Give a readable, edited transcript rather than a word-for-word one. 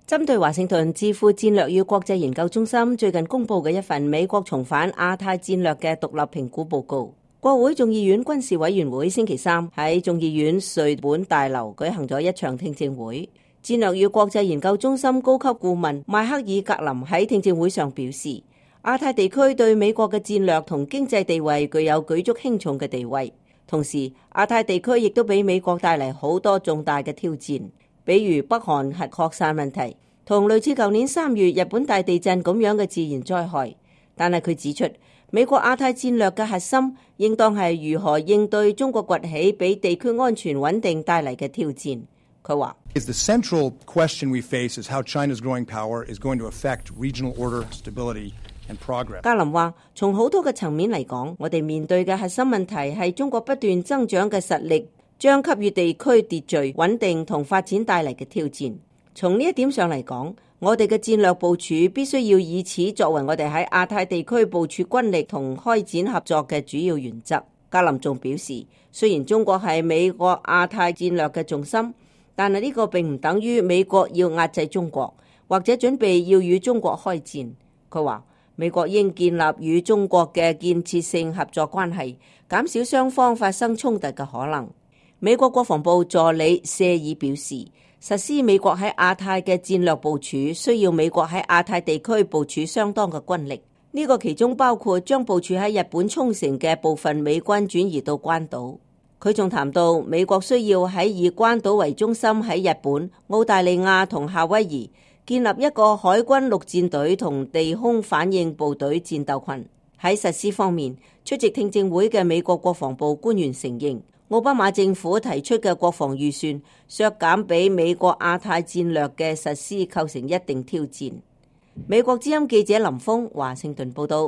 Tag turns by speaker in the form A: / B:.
A: 針對華盛頓智庫戰略與國際研究中心最近公布嘅一份美國重返亞太戰略嘅獨立評估報告，國會眾議院軍事委員會星期三喺眾議院瑞本大樓舉行咗一場聽證會。戰略與國際研究中心高級顧問邁克爾格林喺聽證會上表示，亞太地區對美國嘅戰略同經濟地位具有舉足輕重嘅地位，同時亞太地區亦都俾美國帶嚟好多重大嘅挑戰。比如北韓核擴散問題，同類似舊年3月日本大地震咁樣嘅自然災害。但係佢指出，美國亞太戰略嘅核心應當係如何應對中國崛起俾地區安全穩定帶嚟嘅挑戰。佢話
B: ：The central question we face is how China's growing power is going to affect regional order, stability and progress.
A: 格林話：從好多嘅層面嚟講，我哋面對嘅核心問題係中國不斷增長嘅實力將給予地區秩序、穩定同發展帶嚟嘅挑戰。從呢一點上嚟講，我哋嘅戰略部署必須要以此作為我哋喺亞太地區部署軍力同開展合作嘅主要原則。格林仲表示，雖然中國係美國亞太戰略嘅重心，但係呢個並唔等於美國要壓制中國，或者準備要與中國開戰。佢話，美國應建立與中國嘅建設性合作關係，減少雙方發生衝突嘅可能。美國國防部助理謝爾表示，實施美國喺亞太嘅戰略部署，需要美國喺亞太地區部署相當嘅軍力。呢個其中包括將部署喺日本沖繩嘅部分美軍轉移到關島。佢仲談到，美國需要喺以關島為中心喺日本、澳大利亞同夏威夷建立一個海軍陸戰隊同地空反應部隊戰鬥群。喺實施方面，出席聽證會嘅美國國防部官員承認，奧巴馬政府提出嘅國防預算削減俾美國亞太戰略嘅實施構成一定挑戰。美國之音記者林峰華盛頓報道。